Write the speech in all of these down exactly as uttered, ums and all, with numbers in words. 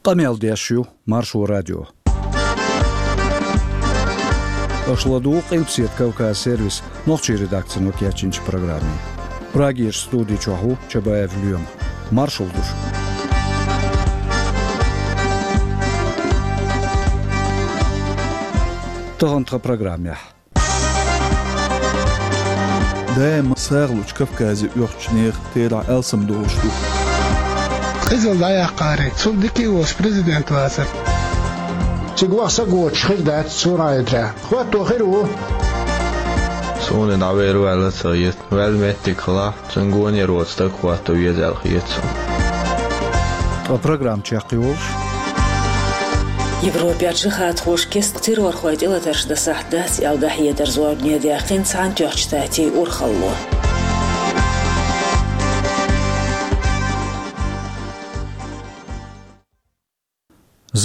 Къамел деш ю Маршо радио. Аша ладугӀу Къилбаседа Кавказ сервисан нохчийн редакцино кечйинчу программе. Прагерчу студи чохь ву Чабаев Лоьма. Маршалла ду шуьга. Тахана тхан программехь. Даима сагӀа лучу Кавказе оьхучу нехан терахь алсам долуш ду. Къизалла дӀаяккхаре, цунна дика а волуш президент вацара. Цига ваха са гоцуш хир дац цунах а эдара. ХӀотто хир ву. Суна дӀавер ваьлла ца хета. Ваьлла меттиг хилахь, цуьнан гонера воцу стаг хӀотто веза аьлла хета суна. Ткъа программа чекхйолуш. Европехь джихадхоша кестта террорхойн тӀелатарш дан сахьт дац аьлла дӀахьедар зорбане даьккхина Цхьаьнатоьхначу Штатийн урхалло.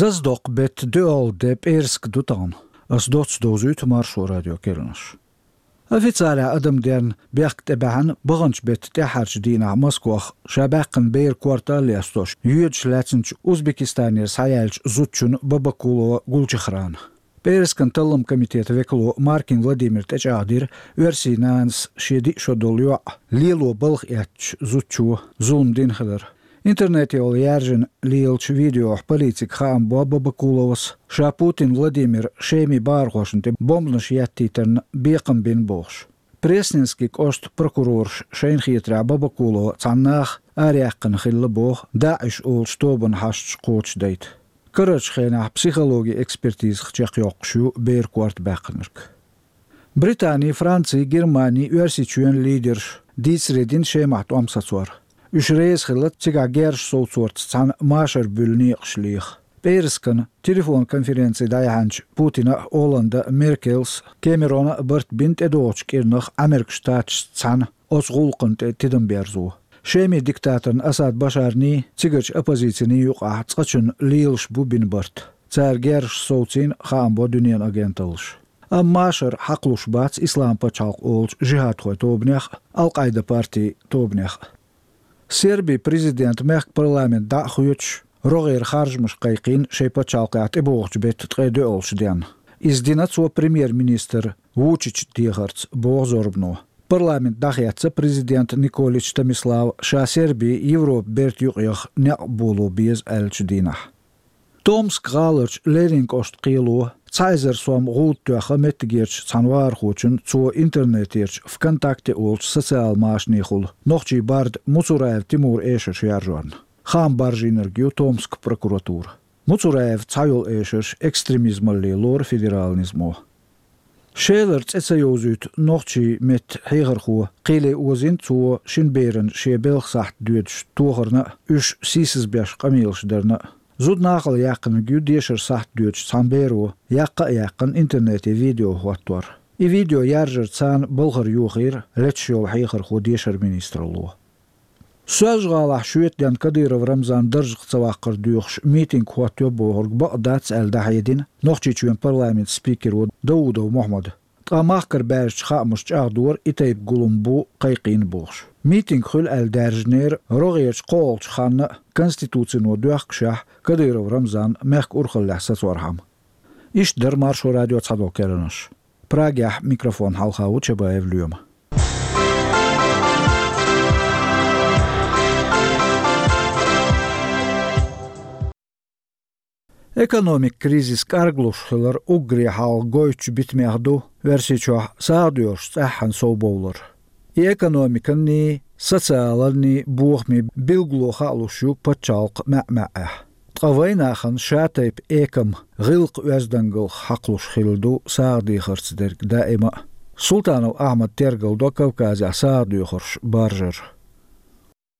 Зазадоккху беттан доьалгӀа де пӀераска ду тахана. Ас доцца довзуьйту Маршо радион керланаш. Официалехь адамденна бехк тӀебаьхьна баханчу беттан тӀаьххьарчу дийнахь Москвахь ша баьккхина беран корта а лестош, йоьдуш лаьцначу Узбекистанера схьаяьллачу зудчунна Бабакулова Гулчехрана. ПӀераскан талламан комитетан векало Маркин Владимира тӀечӀагӀдира оьрсийн нанас шен диъ шо долу йоӀ лело балха эцначу зудчо зулам дина хилар. Интернете йолу яьржина лелачу видеохь полицига хаам бо Бабакуловас, ша Путин Владимира Шеман бахархошна тӀе бомбанаш еттийтарна бекхам бина бохуш. Пресненский кӀоштан прокурораша шайна хетарехь Бабакулова цхьана наха араяьккхина хилла боху ДАИШ олучу тобанан хьашташ кхочушдайта. Карарчу хенахь психологин экспертизах чекхйоккхуш ю беран корта баьккхинарг. Британи, Франци, Германи, Оьрсийчоьнан лидерша дийцаре дина Шемахь тӀом сацор. Уьш реза хилла цигахь герзаш совцорца цхьаьна машар буьллу некъаш леха. ПӀераскана телефон-конференци дӀаяьхьначу Путина а, Олланда а, Меркелс а, Кэмерона а барт бина тӀедогӀучу кӀирнах Ӏамеркан Штаташца цхьаьна оцу гӀуллакхна тӀе тидам берзо. Шеман диктаторна Асад Башарний, цигарчу оппозициний юкъахь цкъачунна лелаш бу бина барт. Цара герзаш совцийна, хаам бо дуьненан агенталлаша. Амма машар хьакхалуш бац Ислам пачхьалкх олучу жихӀадхойн тобанех а, Ал-Къайда партин тобанех а. Сербин президента мехкан парламент дӀа а хоьцуш, рогӀера харжамаш кхайкхийна шайн пачхьалкхехь тӀебогӀучу беттан ткъе доьалгӀачу денна. Иза дина цо премьер-министр Вучичан дехарца, боху зорбано. Парламент дӀахецна президент Николич Томислав ша Серби Европан бертан юкъаеха некъ боло беза аьллачу дийнахь. Томск гӀаларчу Ленин кӀоштан кхело цхьа эзар сом гӀуда тоьхна меттигерчу цхьана вахархочунна цо интернетерчу ВКонтакте олучу социал машанехула нохчийн барда Муцураев Тимура эшарш яржорна. Хаам баржийнарг ю Томскан прокуратура. Муцураевн цхьайолу эшарш экстремизмалле лору федералан низамо. Шелара цӀе ца йовзуьйту нохчийн меттан хьехархо кхеле озийна цо шина берана шен белхан сахьт доьдуш тохарна а, уьш сийсазбеш къамелаш дарна а. Зуда нахала яьккхинарг ю дешаран сахьт доьдуш цхьана беро яккха а яьккхина интернете видео хӀоттор. И видео яржарца царна балхара йохийра леташ йолу хьехархо дешаран министралло. Соьлжа-ГӀалахь шоьтан денна Кадыров Рамзан даржах ца ваккхар доьхуш митинг хӀоттайо бохург бакъ дац аьлла дӀахьедина Нохчийчоьнан парламентан спикеро Даудов Мохьмада. Ткъа махкара баьржачу хаамаша чӀагӀдора и тайпа гулам бу кхайкхийна бохуш. Митинг хуьлу аьлла даьржинера рогӀерчу кхоалгӀачу ханна а, Конституцино доьхкушехь, Кадыров Рамзан мехкан урхаллехь сацорхьама. Иштта дара Маршо радион цхьадолу керланаш. Прагехь микрофон хьалха ву Чабаев Лоьма. Экономикан кризис кӀарглуш хилар уггаре хьалха гойтучу битамех ду Оьрсийчохь сагӀа доьхурш цӀеххьана совбовлар. И экономиканний, социаланний бохаме билгало хаалуш ю пачхьалкх маьӀ-маьӀӀехь. Ткъа вайнахана шатайпа экам гӀиллакх-оьздангаллах хьакхалуш хилла ду сагӀа дехарца дерг даима а. Султанов Ахьмада тергал до Кавказехь сагӀа доьхурш баржар.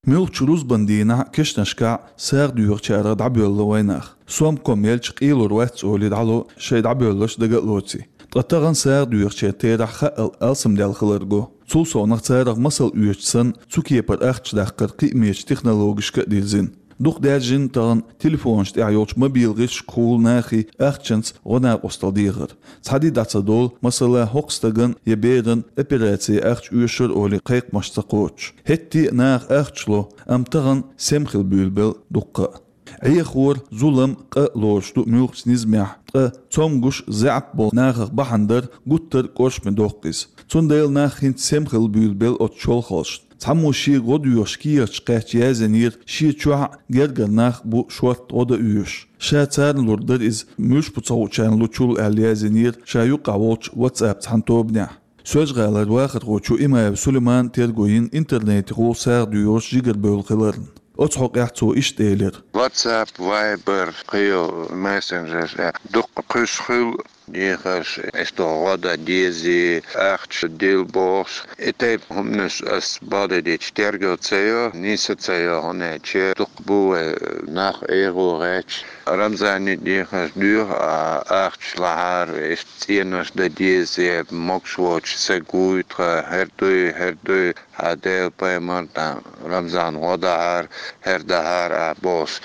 Муьлххачу рузбан дийнахь а, кешнашкахь а сагӀа доьхучарах дӀабоьлла вайнах. Сомком елча къелур вац олий дӀало шайн дӀабоьлларш дага а лоций. Ткъа тахана сагӀа доьхучеран терахь хаъал алсамдаьлла хилар го. Цул совнах царах масал оьцуш санна, цу кепара ахча даккхар кхиамечу технологашка а дирзина. Дукха даьржина тахана телефонаш тӀехь йолчу мобил гӀирсашкахула нахе ахчанца гӀо-накъосталла дехар. Цхьа де дӀа ца долу, масала, хӀокху стагана я берана операци ахча оьшура олий кхайкхамаш ца кхочуш. ХӀетте а наха ахча ло, амма тахана сема хила буьйлабелла дуккха а. Ӏехор, зулам, къа лоруш ду муьлххачу низамехь, ткъа цомгуш, заьӀап болу нахах бахьана дар гуттар а кӀоршаме доккху иза. Цундела нах хӀинца сема хила буьйлабелла оцу чолхалшна. Цхьаммо шега гӀо доьхуш кехаташ кхаьчча яздинера, шен чохь а гергара нах бу шортта гӀо дан оьшуш. Ша царна лур дара иза, муьлш бу ца хуучарна лучул аьлла яздинера ша юккъехь волчу WhatsApp цхьана тобанехь. Соьлжа-ГӀалара вахархочо Имаев Сулеймана терго йина интернетехула сагӀа доьхуш жигарабевлла хиларна. Оцу хьокъехь цо иштта элира: WhatsApp, Viber, кхин йолу мессенджерш, э, дукха кхуьйсуш хуьлу дехарш, иштта гӀо дан дезий, ахча дилла бохуш. И тайпа хӀуманаш ас бакъдерг дийцича терго ца йо, нийса ца йо, хӀунда аьлча дукха бу вай нах эгӀо гӀерташ. Рамзане дехарш доьху, а, ахча лахьара, иштта цӀенош дан деза, я могуш воцуш стаг вуй тхан, хӀара дуй, хӀара дуй, хьан Делан пайхамар, тхан Рамзан гӀо дахьара, хӀара дахьара, а, бохуш.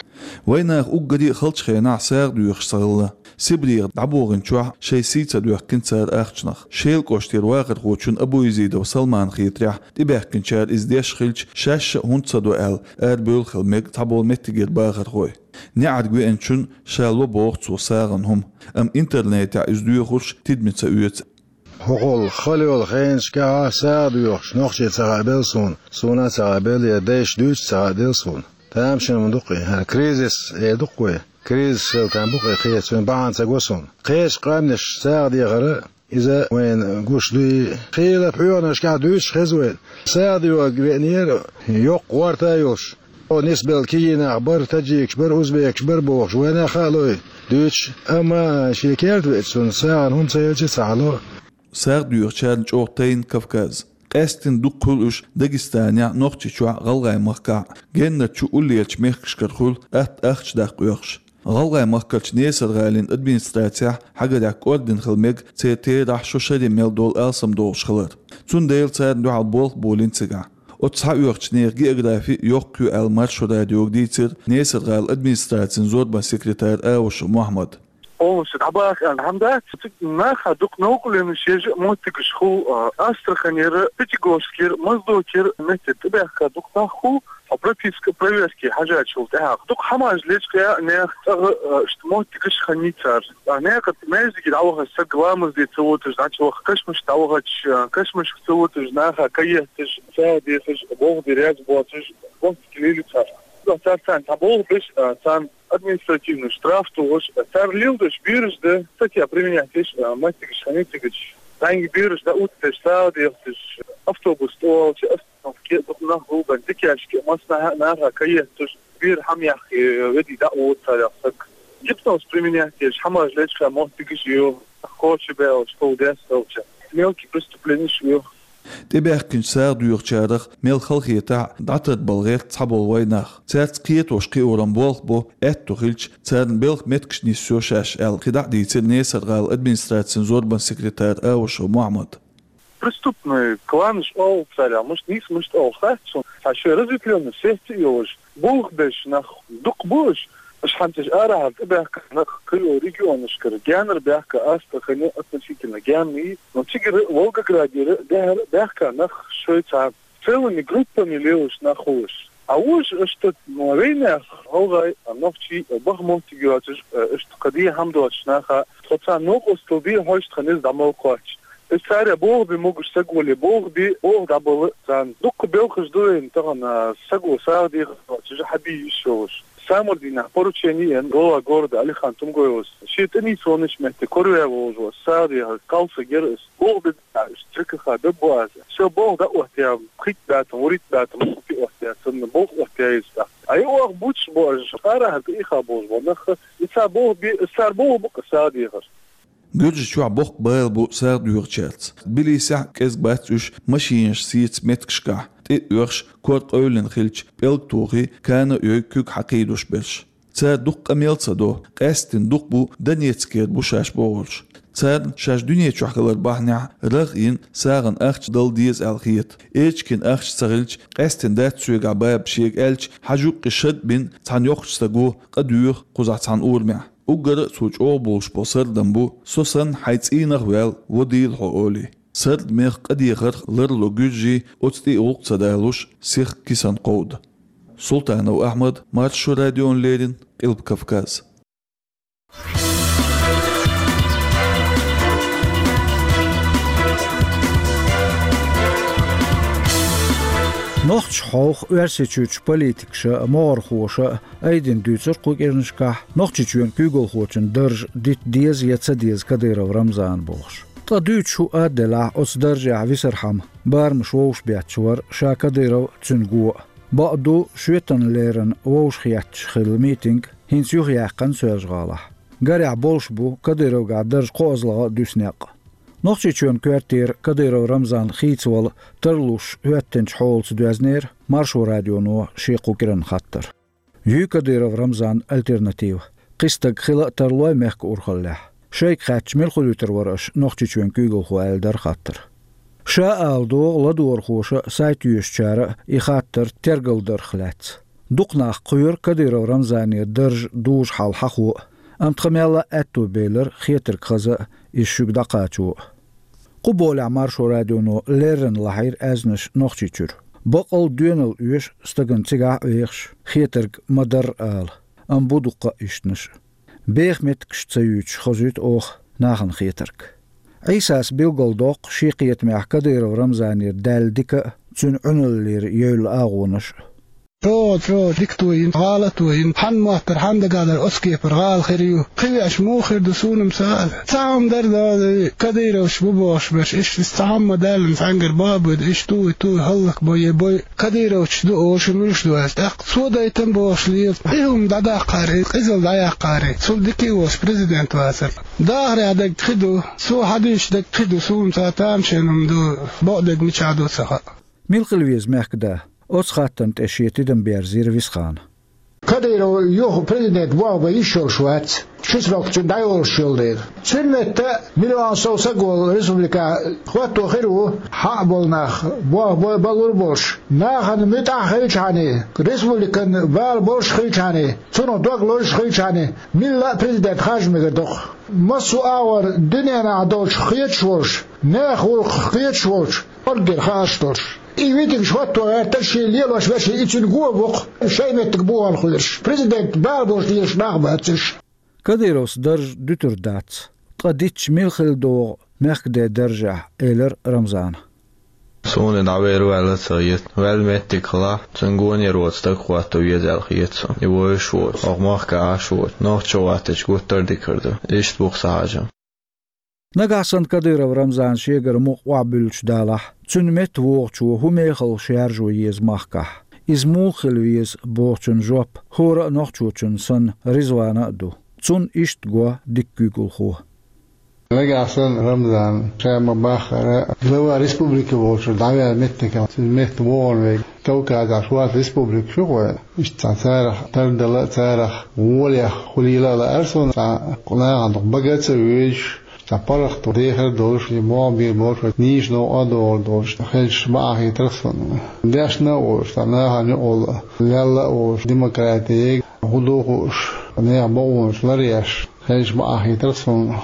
Вайн нах уггаре а халчу хенахь сагӀа доьхуш ца хилла. Сибрех дӀабохийначохь шайн сий ца доьхкина цара ахчанах. Шелан кӀоштара вахархочун Абуязидов Салманан хетарехь, тӀебаьхкинчара иза деш хилча, шаьш а хӀунда ца до аьлла, арабевлла хила мега цхьаболу меттигера бахархой. НеӀарга веанчунна ша ло боху цо сагӀан хӀума, амма интернетехь иза доьхурш тидаме ца оьцу. ХӀокхул хала йолу хенашкахь сагӀа доьхуш нохчий ца хаабелла суна, суна а ца хаабелла, я дайша дуьйцуш ца хаабелла суна. Тамашийна ма ду-кх и, хӀара кризис эр ду-кх вай. Кризис хила там бу-кх и, кхечунна бахьана ца го суна. Кхечу къаьмнаш сагӀа дехар а, иза вайна гуш дуй, хийла пхьоьханашкахь дуьйцуш хеза вайна. СагӀа доьхург веанера, йоккха гӀорта а йолуш. О, нисбелла кегий нах бара, таджикаш бара, узбекаш бара бохуш, вайна а хаалой дуьйцуш, амма шен керта веачунна сагӀан хӀума ца елча а ца хьало. СагӀа доьхучарна чӀогӀа тайна Кавказ. Къаьсттина дукха хуьлу уьш Дагестанехь, Нохчийчохь, ГӀалгӀайн махкахь. Геннара чу уллерчу мехкашкара хуьлу атта ахча даккха оьхуш. ГӀалгӀайн махкарчу Несар-ГӀалин администрацехь хьагарехь кӀордина хила мега церан терахь шо шаре мел долу алсам долуш хилар. Цундела царна дуьхьал болх болийна цигахь. Оцу схьаоьхучу нехан географи йоккха ю аьлла Маршо радиога дийцира Несар-ГӀалин администрацин зорбан секретара Аушев Мохьмада. Полностью дӀабаха аьлла хӀума дац, цига наха дукха новкъарлонаш еш а моттигаш хуьлу, а, Астраханера, Пятигорскера, Моздокера метте тӀебаьхка дукха нах хуьлу, а, прописка проверки хьажачул тӀаьхьа. Дукха хӀумаш лечкъа а нехан цӀагӀа, а, иштта моттигаш хиннийцара. А, некъа маьждиге дӀавахача стаг ламаз де ца вуташ дӀачуваха, кашамашка дӀавахача, а, кашамашка ца вуташ наха каетташ, сагӀа дехаш, болх бе реза боцуш, моттиг лелийцара. Цара царна цхьа болх беш, а, царна административный штраф тухуш, цара лелдеш бераш дан, статья применять деш, а, моттигаш хиннийцигача. Цхьаьнга бераш дан утташ, сагӀа дехаташ, автобус тӀе волча остановке дукха нах гулбан, дикешка, массанхьа а наха каетташ, бер хӀума яккха, э, ведий дӀа а вуьту царех стаг. Гипноз применять деш, хӀумаш лечкъа моттигаш ю, кхочу баьлча, кхул дес хилча. Мелкий преступленеш ю. ТӀебаьхкинчу сагӀа доьхучарах мел халахетахь а дӀатарбала гӀерта цхьаболу вайн нах. Цаьрца кхетош-кхиоран болх бо, аьтто хилча, царна белхан меттигаш нисйо шаьш аьлла, кхидӀа а дийцира Несар-ГӀалин администрацин зорбан секретара Аушев Мохьмада. Преступный кланаш олу царех, муьш нийса муьш олу хац суна, цхьа шайн разветвлённый сеть а йолуш, болх беш нах дукха бу уьш. Уьш хьанца уьш арахьара тӀебаьхка нах кхийолу регионашкара, генара баьхка, Астрахане относительно генна, но цигара Волгоградера, дехьара баьхка нах шайн цхьа целыми группами лелаш нах хуьлуш. А уьш иштта, ну, вайнех, гӀалгӀай, нохчий, баха моттиг йоцуш, иштта кхин дийна хӀума доцуш наха, тхо царна новкъостал де хьожуш тхан иза дӀа мел кхоччуш. Иза царех болх бе могуш стаг вале, болх бе, болх дӀабала царна. Дуккха белхаш ду вайна тахана, стаг ву сагӀа дехар доцуш, хьан бий йиш йолуш. Самар дийнахь поручение ян глава города Алихан Тумгоевас. Шен тӀе нийса вонаш метте, корве волуш ву, сагӀа дехар, кхалсаг яра иза. Болх бе, а, уьш ЖКХ беббу аса. Шо болх дӀа а оттаяьлла, пхийтта бӀе там, вурийтта бӀе там, мохти оттаяьлла, санна болх оттаяьлла иза тӀаккха. А и оха буьтуш бу аша, арахьара тӀеийха болуш бу нах, и цара болх бе, и цара болх бу-кх сагӀа дехар. Гуьржийчохь боккха бала бу сагӀа доьхучаьрца. Тбилисехь а кӀезга бац уьш машинаш сеца меттигашкахь, тӀе а оьхуш, кор къевлина хилча, пӀелг тухий, кана а йой, куьг хьакхийдуш берш. Цара дукха къамел ца до, къаьсттина дукха бу Донецкера бу шаьш бохурш. Царна шаьш дуьне чохь хилар бахьанехь рагӀ йина сагӀан ахча дала деза аьлла хета. Эчкин ахча ца хилча, къаьсттина дац соьгахь баба шега аьлча, хьажа юккъе шад бина цхьана йоккхачу стага къа доьху кхузахь цхьана урамехь. Уггар а цо чӀогӀа болуш болу сардам бу: «Со санна хьайн цӀийнах а ваьлла, ван дийла хьо», — олий. Сардамех, къа дехарх ларло гуьржий, оцу тӀе гӀуллакх ца далуш, сиха кисана кховда. Султанов Ахьмад, Маршо радиона леррина, Къилба Кавказ. Нохчийчохь Оьрсийчуьрчу политикаша а, могӀархоша а айдина дуьйцура кху кӀиранашкахь Нохчийчоьнан куьйгалхочун дарж дита деза я ца деза Кадыров Рамзана бохуш. Ткъа дуьйцуш хӀуъа а делахь, оцу даржехь висархьама барамаш вовшахбетташ вара ша Кадыров а, цуьнан го а. Бакъ ду, шоьтан леррина вовшахетташ хилла митинг хӀинца юхаяьккхина Соьлжа-ГӀалахь. Гарехь, болуш бу Кадыровгахь дарж кхоазлагӀа а дуьсу некъ. Нохчийчоьнан коьртера Кадыров Рамзан хийцавала тарлуш хӀоьттинчу хьолаца доьзнера Маршо радионо шен кху кӀиранан хаттар. Юй Кадыров Рамзанан альтернатива? Кхин стаг хила а тарлой мехкан урхаллехь? Шайга хаьттича, мила хуьлуьйтур вара аша Нохчийчоьнан куьйгалхо, аьлла дара хаттар. Ша ала догӀу ладогӀархоша а, сайт йоьшучара а и хаттар тергалдарх лаьцна. Дукха нах кхоьру Кадыров Рамзанера дарж дужу хьал хьахо а, амма тхан мелла а аьтто белира хетарг хаза а, иза шуьга дӀакхачо а. Кху болехь Маршо радионо леррина лахьийра аьзнаш Нохчийчуьра. Баккъал доьналла оьшу стагана цигахь а вехаш хетарг ма-дарра ала, амма бу дуккха а ишттанаш. Беха меттигаш ца юьйцуш хазуьйту оха нахана хетарг. Ӏийсас билгалдоккху шен кхетамехь Кадыров Рамзанера даьлла дика а, цуьнан Ӏуьналлера евлла агӀонаш а. ЧӀогӀа, чӀогӀа дика тоьйна, гӀала а тоьйна, хьанна моттара, хьанна дагахь дара оцу кепара гӀала хир ю. Кхин веача муха хир ду, суна-м ца хаьа. Цхьа хӀума дара, да, Кадыровс бу бохуш берш, иштта цхьа хӀума ма даьллина, цхьаьнгара боху буьйда, иштта туй, туй, хӀаллакбой, е бой. Кадыровчу ду олуш, муьлш ду аьлла, тӀаккха цо дайтина бохуш лела. И хӀума дӀадаккхара, и къизалла дӀаяккхара, цул дика а волуш президент вацара. Дахарехь дерг кхин ду, цо хьадуьйцуш дерг кхин ду, суна-м ца хаьа, тамашийна хӀума ду, бакъдерг мичахь ду ца хаьа. Мила хила веза мехкада? Оцу хаттарна тӀе шен тидам берзийра Висхана. Кадыров юха президент болх бан йиш йолуш вац, ши срок цуьнан дӀайолуш йолу дела. Цуьнан метта миллион сов саг волу республика хӀотто хир ву, хьаъ болу нах, болх бан лур болуш, нахана муьтӀахь хилчхьана, республикан бала болуш хилчхьана, цунах дог лозуш хилчхьана, милла а президент харжа мегар доккху. Массо а агӀор дуьненахь долчух кхеташ волуш, нехан гӀуллакхах кхеташ волчу, орггера хаарш долуш. И митингаш хӀотто гӀертара шен лелош верши, и цуьнан го бу-кх, шайн меттиг бухахь хьоьжуш. Президент бала болуш лелаш нах бац уьш. Кадыровс дарж дуьтур дац, ткъа дитташ мила хила догӀу мехкаде даржехь, элира Рамзана. Суна и дӀавер ваьлла а ца хета. Ваьлла меттиг хилахь, цуьнан гонера воцу стаг хӀотто веза аьлла хета суна. И вовшах воцу, хӀокху махкахь Ӏаш воцу, нохчо ваттича гуттар а дика хир ду. Иштта бу-кх сан хьажам. Нагахь санна Кадыров Рамзан шегара мукъа охьабуьллуш далахь, цуьнан метта вогӀучо хӀун мехалла шаьржо еза махкахь? Иза муха хила веза бохучун жоп хӀора а нохчочун санна Ризвана а ду. Цунна иштта го дика куьйгалхо. Нагахь санна Рамзан ша ма-баххара глава республики волчуьра дӀаваьлла меттигехь, цуьнан метта вогӀун вега. Кавказехь шорта республикаш ю-кх вайн. Иштта цхьа царах тардала а, царах волех хуьлийла а лаьара суна, цхьа нахана дукха бага а ца вуьйцуш, цхьа паргӀато дехар а долуш, и могӀа бийр болуш, нийса новкъа а догӀур долуш, хезаш бакъахьа хетара суна. Дешна а волуш, цхьа нахана юкъалла лелла а волуш, демократига хӀун ду хууш, нехан бакъонаш ларъеш, хезаш бакъахьа хетара суна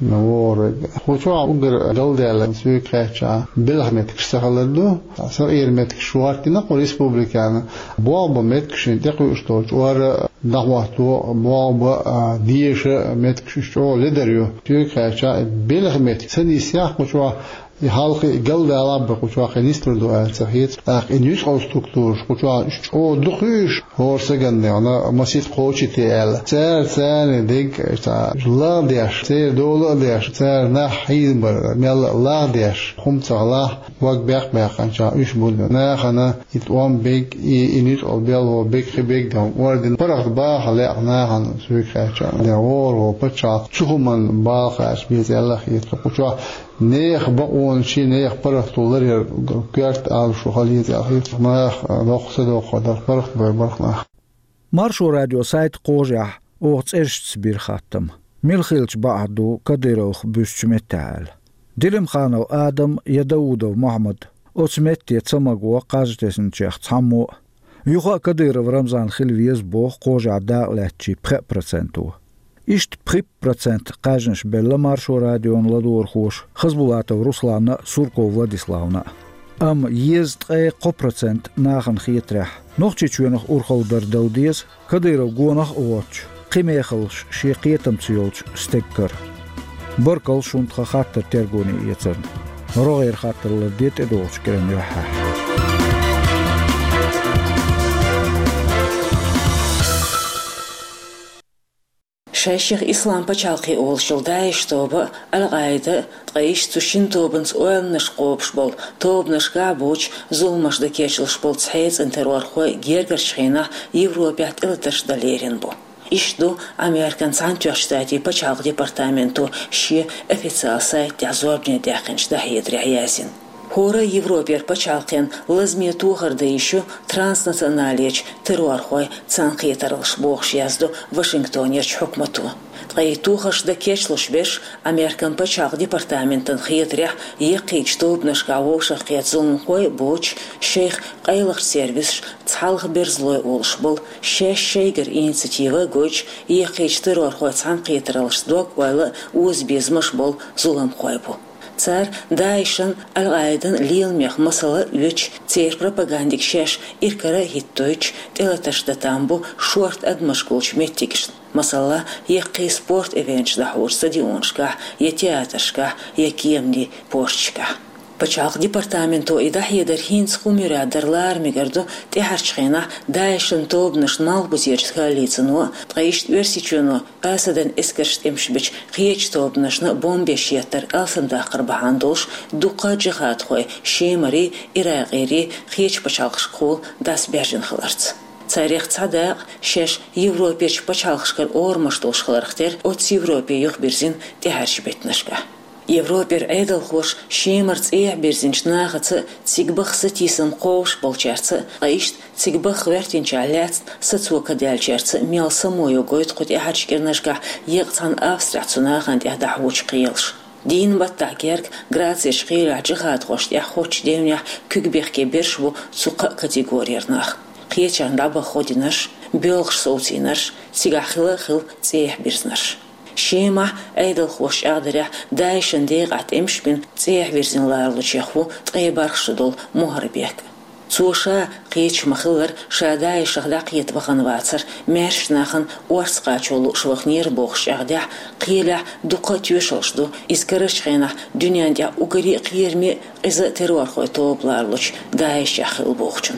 вогӀург. Кху чохь уггар галдаьлла, соьга хаьттича, белхан меттигаш ца хилар ду. Сакъеран меттигаш хӀоттийна кху республикана. Болх бан меттигаш шена тӀекхуьуш долчу ара дӀахӀотто, болх бан а, деша меттигаш уьш чӀогӀа ледар ю. Соьга хаьттича, и белхан меттиг ца нисъяхь кху чохь, и хьалха и галдалахь а бен кху чохь кхин нислур ду аьлла ца хета. ТӀаккха и нуьцкъала структураш кху чохь уьш чӀогӀа дукха ю уьш, хӀора сагана, масийтта кхочуьйтий аьлла. Цара царна дерг цхьа лагӀдеш, церан дола а деш, цара нах хьийзабар мелла а лагӀдеш, хӀума ца хилахь, дог бекх-баьккхинчохь уьш бу нахана и тӀом бег, и, и нуьцкъала белхо бег, хи бег ден орден паргӀат баха лаьа нахана, соьга хаьттича. Ден вогӀур волу пачхьалкх цу хӀуманна бала кхача беза аьлла хета кху чохь. Нехан бакъонаш, нехан паргӀато ларъяр коьрта Ӏалашо хила еза аьлла хета. Нах доккха са доккхо дара, паргӀат бой барх нах. Маршо радион сайтан кхажехь оха цӀерашца бира хаттам: мила хилча бакъахь ду Кадыровх буьсучу меттехь аьлла. Делимханов Адам я Даудов Мохьмад оцу метте ца маго кхаж тесначех цхьаммо а. Юха а Кадыров Рамзан хила веза боху кхажехь дакъалаьцначийн пхеа проценто. Иштта пхи процент кхаьжнаш белла Маршо радион ладогӀархоша Хасбулатов Русланна а, Сурков Владиславна а. Амма езткъе кхо процент нахана хетарехь, Нохчийчоьнах урхалла дар дала деза, Кадыров гонах а воцуш, кхин мехаллаш шен кхетамца йолчу стеган кара. Баркалла шуна тхан хаттар тергоне эцарна. РогӀера хаттар ларде тӀедогӀучу кӀиран юьххьехь. Шайшех Ислам пачхьалкхе олуш йолу ДАИШ тоба а, Ал-Къаида а, ткъа иштта цу шина тобанца ойланаш кхобуш болу тобанашкахь а боцуш, зуламаш дан кечлуш болу цхьа цӀена террорхой гергарчу хенахь Европехь тӀелатарш дан лерина бу. Иштта ду Американ Цхьаьнатоьхначу Штатийн пачхьалкхан департаменто шен официалан сайта тӀехь зорбане даьккхинчу дӀахьедарехь яздина. ХӀора Европера пачхьалкхенна лазаме тохар дан йиш ю транснационалечу террорхойн цхьаьнакхетараллаш, бохуш яздо Вашингтонерчу хьукмато. Ткъа и тохарш дан кечлуш берш, Американ пачхьалкхан департаментан хетарехь, яккхийчу тобанашкахь вовшахкхетта зуламхой а боцуш, шайх къайлахчу сервисаш цхьалха берзалой олуш болу, шаьш шайгара инициатива а гойтуш, яккхийчу террорхойн цхьаьнакхетараллашца дог-ойла а, озабезамаш а болу зуламхой бу. Цара ДАИШан, Ал-Къаидан леламех масала а оьцуш, церан пропагандиг шаьш иракара а хӀиттойтуш, тӀелатарш дан там бу шорта адамаш гулчу меттигашна, масала, яккхий спорт эвенташ дӀахьочу стадионашкахь, я театрашкахь, я кеманийн пошташкахь. Пачхьалкхан департаменто и дӀахьедар хӀинца хӀун муьрад дара лара мегар ду, тӀаьхьарчу хенахь ДАИШан тобанашна Малхбузерчу коалицино, ткъа иштта Оьрсийчоьно Асадан эскарша тӀемаш бечу кхечу тобанашна бомбеш еттар алсамдаккхар бахьана долуш, дуккха а джихадхой Шемарий, Иракъерий кхечу пачхьалкхашкахула дӀасабаьржина хиларца. Царех цхьа дакъа шаьш Европерчу пачхьалкхашкара орамаш долуш хиларх тера оццу Европе юхабирзина тӀаьхьарчу беттанашкахь. Европера Ӏедалхоша Шемара цӀехьа бирзинчу нахаца а, цига баха сатийсам кхобуш болчаьрца а, ткъа иштта цига баха гӀоьртинчохь лаьцна сацо ка даьллачаьрца а мел само йо гойту кху тӀаьхьарчу кӀирнашкахь еккъа цхьана Австрехь цу нахана тӀехь дӀахьочу кхелаша. Дийнан баттахь герга Грацерчу кхелехь джихадхошна тӀехь хоттучу девнехь куьг бехке берш бу цу кхаа категорера нах: кхечарна дӀабаха гӀо динарш, боьлхуш совцийнарш, цигахь хила а хилла цӀехьа бирзинарш. Шемахь Ӏедалхоша чӀагӀдарехь, ДАИШан декъахь тӀемаш бина цӀехьа вирзина ларалучех ву ткъе бархӀ шо долу Мухарбек. Цо ша, кхеча ма-хиллара, ша ДАИШах дӀакхета вахана вацара, маьршачу нахана орца кхачо лууш ваханера бохуш чӀагӀдехь, кхелехь дуккха а тоьшаллаш ду иза карарчу хенахь дуьненна тӀехь уггаре а кхераме а, къиза а террорхойн тоба ларалучу ДАИШехь хилла бохучун.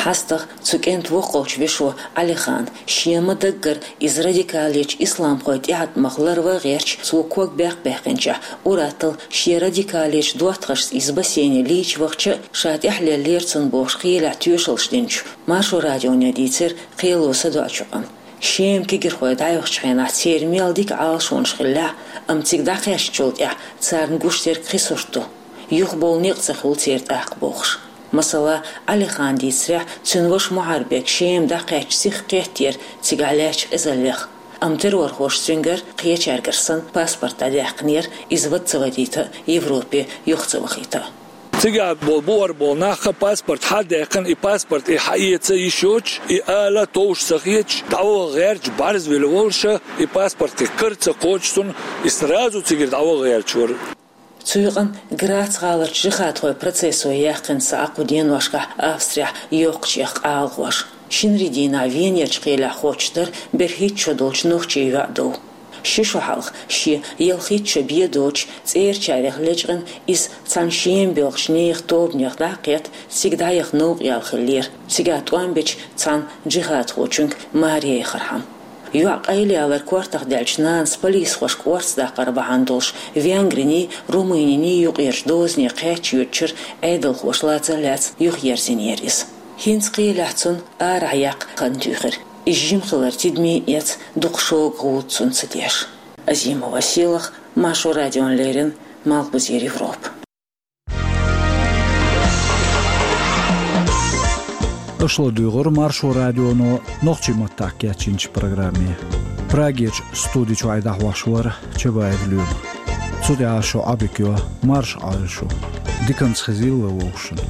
ХьастагӀа цу кӀентан воккхалчу вешо Ӏалихана, шен ма-даггара иза радикалечу исламхойн тӀеӀаткъамах ларван а гӀерташ, цо ког баьккха баьккхинчохь, ур-атталла шен радикалечу доттагӀашца иза бассейне лийча вахча а, ша тӀехь леллера цунна бохуш кхелехь тоьшаллаш динчу Маршо радионе дийцира кхело садоӀучу къам. Шема кегирхой дӀайохучу хенахь церан мел дика Ӏалашонаш хиллехь а, амма цига дӀакхаьчначул тӀаьхьа царна гуш дерг кхин сурт ду. Юхабовла некъ ца хуьлу церан тӀаккха бохуш. Масала, Ӏалихана дийцарехь, цуьнан ваша Мухарбек Шема дӀакхаьчча сиха кхеттера цигахь лаьттачу къизаллех. Амма террорхоша цуьнгара, кхечаьргара санна, паспорт дӀадаьккхинера, иза вада ца вадийта а, Европе юха ца вахийта а. Цигахь болу, бухара болу нах а паспорт хьадаьккхина, и паспорт и хьаэца йиш йоцуш, и ала товш ца хеташ, дӀаваха гӀерташ, бӀарзвелла волуша, и паспорт кхин кара ца кхочуш цунна, и сразу цигара дӀаваха гӀерташ вара. Цу юкъана Грац гӀаларчу жихадхойн процессо яьккхина цхьа кху деношкахь Австрехь йоккхачех къалагӀош. Шинарин дийнахь Венерчу кхелехь хоттуш дара берхӀитта шо долчу нохчийн йоӀ дов. Ши шо хьалха шен ялхитта шо бен доцуш, цӀерачарех лечкъина, иза цхьана Шема боьлхучу нехан тобанех дӀа а кхетта, цига дӀаяха новкъа яьлла хиллера, цигахь тӀом бечу цхьана жихадхочуьнга маре яхархьама. ЙоӀ къайлаялар кортах даьллачу нанас полисхошка орца даккхар бахьана долуш, Венгриний, Румыниний юкъерчу дозане кхаьчча йоьдучуьра Ӏедалхоша лаца а лаьцна юхаерзийнера иза. ХӀинца кхелехь цунна арахь яккха хан туьйхира. Иза жима хилар тидаме а эцна, дукха шога гӀуда цунна ца деш. Азимова Селах, Маршо радиона леррина, Малхбузера Европа. Аша ладуьйгӀира Маршо радионо нохчийн маттахь кечйинчу программе. Прагерчу студи чуьра дӀахьош вара Чабаев Лоьма. Цу тӀехь шун Ӏодика йо, марша Ӏойла шу. Диканца хезийла вай вовшашна.